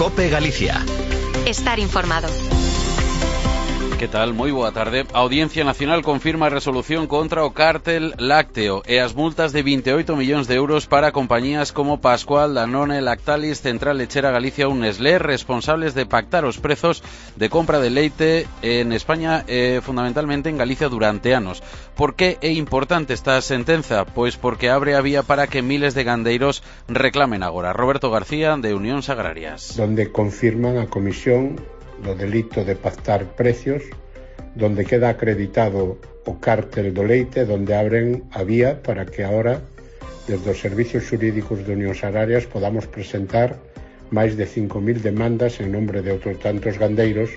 COPE Galicia. Estar informado. Que tal? Moi boa tarde. A Audiencia Nacional confirma a resolución contra o cártel lácteo e as multas de 28 millóns de euros para compañías como Pascual, Danone, Lactalis, Central Lechera Galicia ou Nestlé, responsables de pactar os prezos de compra de leite en España e fundamentalmente en Galicia durante anos. Por que é importante esta sentenza? Pois porque abre a vía para que miles de gandeiros reclamen agora. Roberto García, de Unións Agrarias. Donde confirman a Comisión do delito de pactar precios, donde queda acreditado o cártel do leite, donde abren a vía para que ahora, desde os servicios xurídicos de Unións Agrarias, podamos presentar máis de 5.000 demandas en nombre de outros tantos gandeiros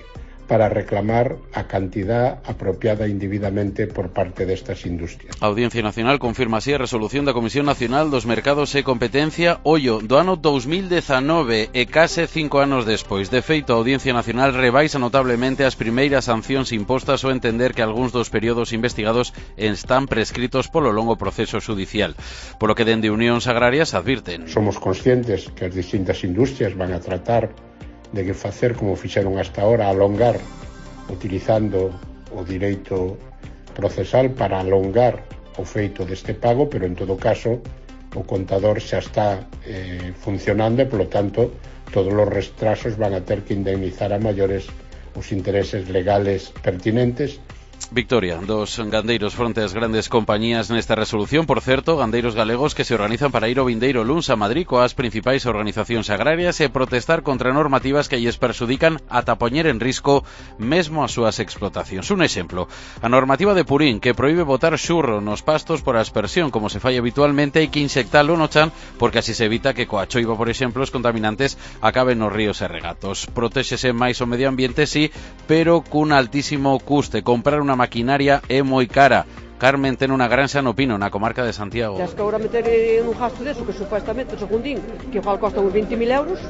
para reclamar a cantidad apropiada indebidamente por parte destas industrias. A Audiencia Nacional confirma así a resolución da Comisión Nacional dos Mercados e Competencia ollo do ano 2019 e case 5 anos despois. De feito, a Audiencia Nacional rebaixa notablemente as primeiras sancións impostas ao entender que algúns dos períodos investigados están prescritos polo longo proceso judicial. Polo que dende Unións Agrarias advirten. Somos conscientes que as distintas industrias van a tratar de que facer como fixeron hasta ahora, alongar, utilizando o direito procesal para alongar o feito deste pago, pero en todo caso o contador xa está funcionando e, polo tanto, todos os retrasos van a ter que indemnizar a maiores os intereses legales pertinentes. Victoria dos gandeiros fronte ás grandes compañías nesta resolución. Por certo, gandeiros galegos que se organizan para ir o vindeiro luns a Madrid coas principais organizacións agrarias e protestar contra normativas que lles perxudican ata poñer en risco mesmo as súas explotacións. Un exemplo, a normativa de Purín que proíbe botar xurro nos pastos por aspersión como se fai habitualmente e que insectalo no chan porque así se evita que coa choiva, por exemplo, os contaminantes acaben nos ríos e regatos. Protéxese máis o medio ambiente, sí, pero cun altísimo custe. Comprar unha maquinaria é moi cara. Carmen ten unha granxa no Pino, na comarca de Santiago. Tens que agora meter un gasto deso que supuestamente, según din, que igual costa uns 20.000 euros,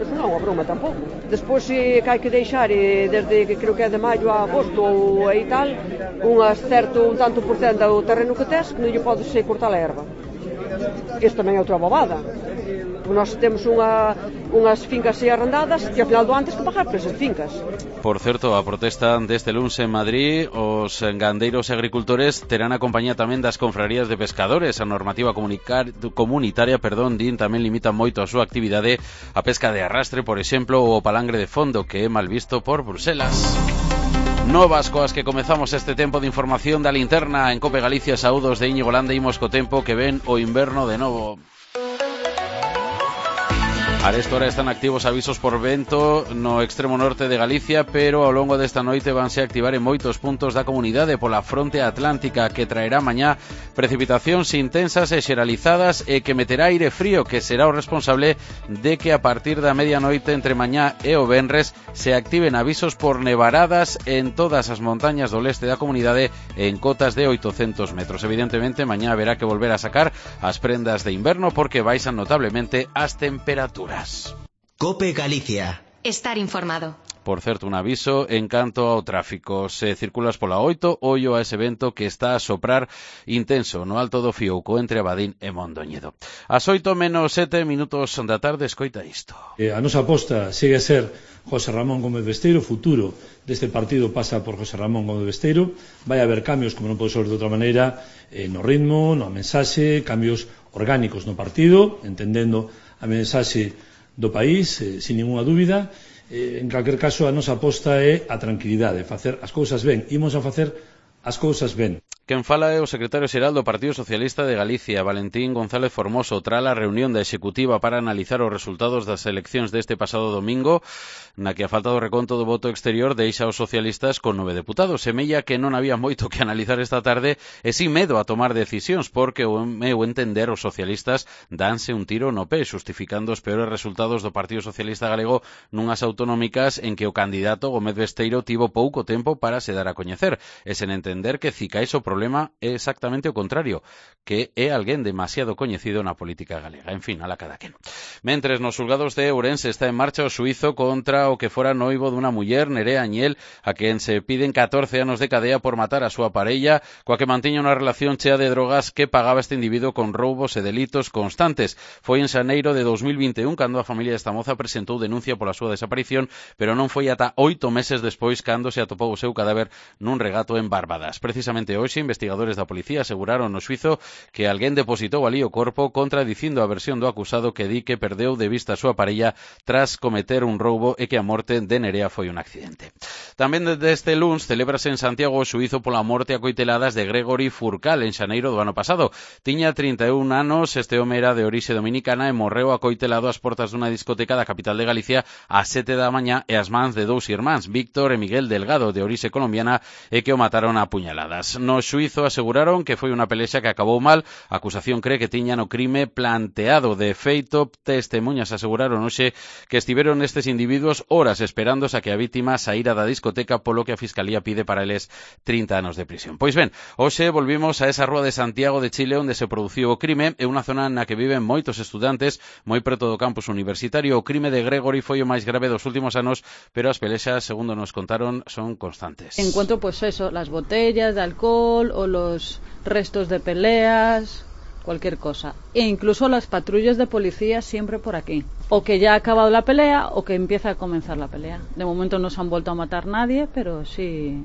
eso non é unha broma tampouco. Despois que hai que deixar, desde que creo que é de maio a agosto ou aí tal, un tanto por cento do terreno que tes, que non lle podes cortar a erva. Isto tamén é outra bobada. Nós temos unhas fincas arrendadas e ao final do ano tens que pagar por esas fincas. Por certo, a protesta deste luns en Madrid, os gandeiros e agricultores terán a compañía tamén das confrarías de pescadores. A normativa comunitaria, din, tamén limita moito a súa actividade a pesca de arrastre, por exemplo, ou o palangre de fondo, que é mal visto por Bruselas. Novas coas que comezamos este tempo de información da linterna en Cope Galicia. Saúdos de Íñigo Landa, imos co tempo que ven o inverno de novo. A esta hora están activos avisos por vento no extremo norte de Galicia, pero ao longo desta noite vanse activar en moitos puntos da comunidade pola fronte atlántica que traerá mañá precipitacións intensas e xeralizadas e que meterá aire frío, que será o responsable de que a partir da medianoite entre mañá e o venres se activen avisos por nevaradas en todas as montañas do leste da comunidade en cotas de 800 metros. Evidentemente, mañá haberá que volver a sacar as prendas de inverno porque baixan notablemente as temperaturas. COPE Galicia. Estar informado. Por certo, un aviso en canto ao tráfico. Se circulas pola 8, ollo a ese vento que está a soprar intenso no alto do Fiouco entre Abadín e Mondoñedo. As 8 menos 7 minutos da tarde, escoita isto. A nosa aposta segue a ser José Ramón Gómez Besteiro. O futuro deste partido pasa por José Ramón Gómez Besteiro. Vai haber cambios, como non pode ser de outra maneira, no ritmo, na mensaxe, cambios orgánicos no partido, entendendo a mensaxe do país, sin ninguna dúbida. En calquer caso, a nosa aposta é a tranquilidade, facer as cousas ben. Imos a facer as cousas ben. Quen fala é o secretario xeral do Partido Socialista de Galicia, Valentín González Formoso, tras a reunión da executiva para analizar os resultados das eleccións deste pasado domingo, na que a falta do reconto do voto exterior deixa os socialistas con 9 deputados. Semella que non había moito que analizar esta tarde e sin medo a tomar decisións, porque o meu entender os socialistas danse un tiro no pé, justificando os peores resultados do Partido Socialista Galego nunhas autonómicas en que o candidato Gómez Besteiro tivo pouco tempo para se dar a coñecer, e sen entender que cicais o problema problema é exactamente o contrario, que é alguén demasiado coñecido na política galega. En fin, ala cada quen. Mentres, nos xulgados de Ourense está en marcha o xuízo contra o que fora noivo dunha muller, Nerea Añel, a quen se piden 14 anos de cadea por matar a súa parella, coa que mantiña unha relación chea de drogas que pagaba este individuo con roubos e delitos constantes. Foi en xaneiro de 2021 cando a familia desta moza presentou denuncia pola súa desaparición, pero non foi ata 8 meses despois cando se atopou o seu cadáver nun regato en Barbadas. Precisamente hoxe, investigadores da policía aseguraron no xuízo que alguén depositou ali o corpo contradicindo a versión do acusado que di que perdeu de vista a súa parella tras cometer un roubo e que a morte de Nerea foi un accidente. Tamén desde este luns celébrase en Santiago o xuízo pola morte a coiteladas de Gregory Furcal en xaneiro do ano pasado. Tiña 31 anos, este home era de orixe dominicana e morreu acoitelado ás portas dunha discoteca da capital de Galicia ás 7 da mañá e ás mans de dous irmáns, Víctor e Miguel Delgado, de orixe colombiana, e que o mataron a puñaladas. No xuízo aseguraron que foi unha pelexa que acabou mal. A acusación cree que tiñan o crime planteado. De feito, testemunhas aseguraron hoxe que estiveron estes individuos horas esperándose a que a vítima saíra da discoteca, polo que a Fiscalía pide para eles 30 anos de prisión. Pois ben, hoxe volvimos a esa rúa de Santiago de Chile onde se produciu o crime, é unha zona na que viven moitos estudantes, moi preto do campus universitario. O crime de Gregory foi o máis grave dos últimos anos, pero as pelexas, segundo nos contaron, son constantes. Encuentro, pues eso, las botellas de alcohol o los restos de peleas, cualquier cosa. E incluso las patrullas de policía siempre por aquí. O que ya ha acabado la pelea o que empieza a comenzar la pelea. De momento no se han vuelto a matar nadie, pero sí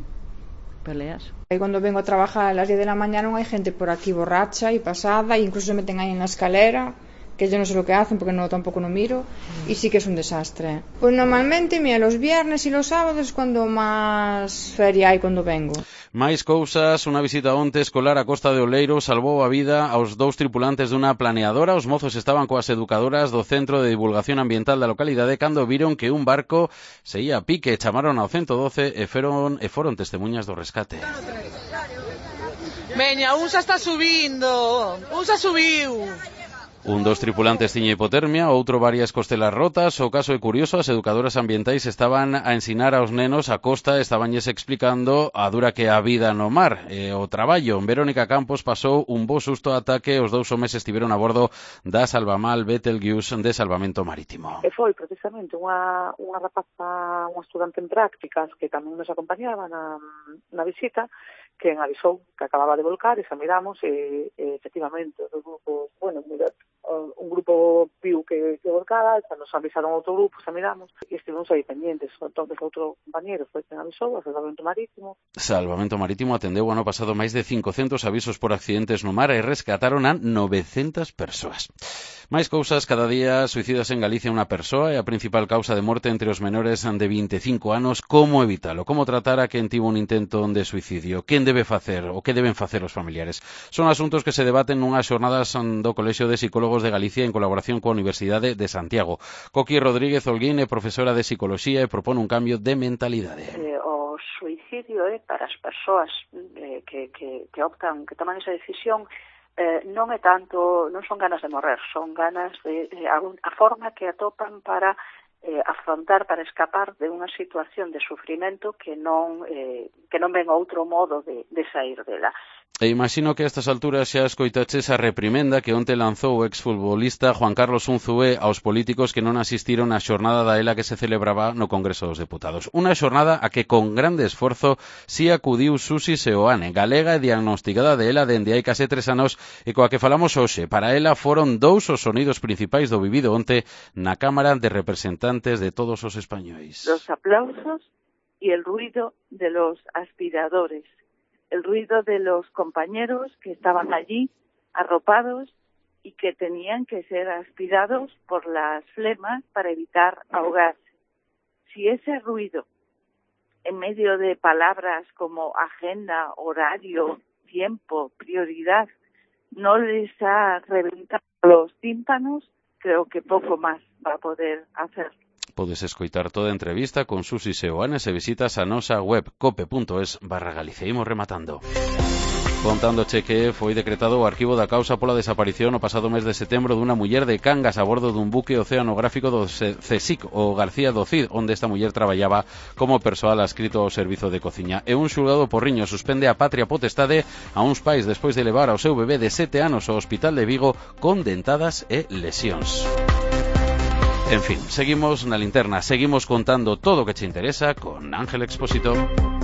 peleas. Y cuando vengo a trabajar a las 10 de la mañana hay gente por aquí borracha y pasada, e incluso se meten ahí en la escalera, que yo no sé lo que hacen porque tampoco no miro, y sí que es un desastre. Pues normalmente, mira, los viernes y los sábados es cuando más feria hai cuando vengo. Máis cousas, unha visita onte escolar a Costa de Oleiro salvou a vida aos dous tripulantes dunha planeadora. Os mozos estaban coas educadoras do Centro de Divulgación Ambiental da localidade cando viron que un barco se ia a pique. Chamaron ao 112 e foron testemunhas do rescate. Veña, un xa está subindo, un xa subiu. Un dos tripulantes tiña hipotermia, outro varias costelas rotas. O caso é curioso, as educadoras ambientais estaban a ensinar aos nenos a costa, estabanlles explicando a dura que é a vida no mar e o traballo. Verónica Campos pasou un bo susto ata que os dous homes estiveron a bordo da Salvamal Betelgeuse de Salvamento Marítimo. E foi precisamente unha rapaza, unha estudante en prácticas que tamén nos acompañaba na visita, que avisou que acababa de volcar e xa miramos e efectivamente os grupos, bueno, un grupo viu que volcaba, xa nos avisaron outro grupo, xa miramos e estivemos aí pendientes. Entonces outro compañero foi quen avisou, a Salvamento Marítimo. Salvamento Marítimo atendeu ano pasado máis de 500 avisos por accidentes no mar e rescataron a 900 persoas. Máis cousas, cada día suicidas en Galicia unha persoa e a principal causa de morte entre os menores de 25 anos. Como evitalo? Como tratar a quen tivo un intento de suicidio? Quen debe facer o que deben facer os familiares? Son asuntos que se debaten nunhas xornadas do Colexio de Psicólogos de Galicia en colaboración coa Universidade de Santiago. Coqui Rodríguez Holguín é profesora de Psicoloxía e propone un cambio de mentalidade. O suicidio é para as persoas que optan, que toman esa decisión, non é tanto, non son ganas de morrer, son ganas de a forma que atopan para afrontar, para escapar de unha situación de sufrimento que non ven outro modo de sair dela. E imagino que a estas alturas xa escoitaches a reprimenda que onte lanzou o exfutbolista Juan Carlos Unzué aos políticos que non asistiron á xornada da ELA que se celebraba no Congreso dos Deputados. Unha xornada a que con grande esforzo si acudiu Susi Seoane, galega e diagnosticada de ELA dende hai case 3 anos e coa que falamos hoxe. Para ela foron dous os sonidos principais do vivido onte na Cámara de Representantes de todos os españois. Los aplausos y el ruido de los aspiradores. El ruido de los compañeros que estaban allí arropados y que tenían que ser aspirados por las flemas para evitar ahogarse. Si ese ruido, en medio de palabras como agenda, horario, tiempo, prioridad, no les ha reventado los tímpanos, creo que poco más va a poder hacer. Podes escoitar toda a entrevista con Susi Seoane se visitas a nosa web cope.es/Galicia. Imos rematando. Contándoche que foi decretado o arquivo da causa pola desaparición o pasado mes de setembro dunha muller de Cangas a bordo dun buque oceanográfico do CSIC, o García do Cid, onde esta muller traballaba como persoal adscrito ao servizo de cociña. E un xulgado porriño suspende a patria potestade a uns pais despois de levar ao seu bebé de 7 anos ao hospital de Vigo con dentadas e lesións. En fin, seguimos na linterna, seguimos contando todo o que che interesa con Ángel Expósito.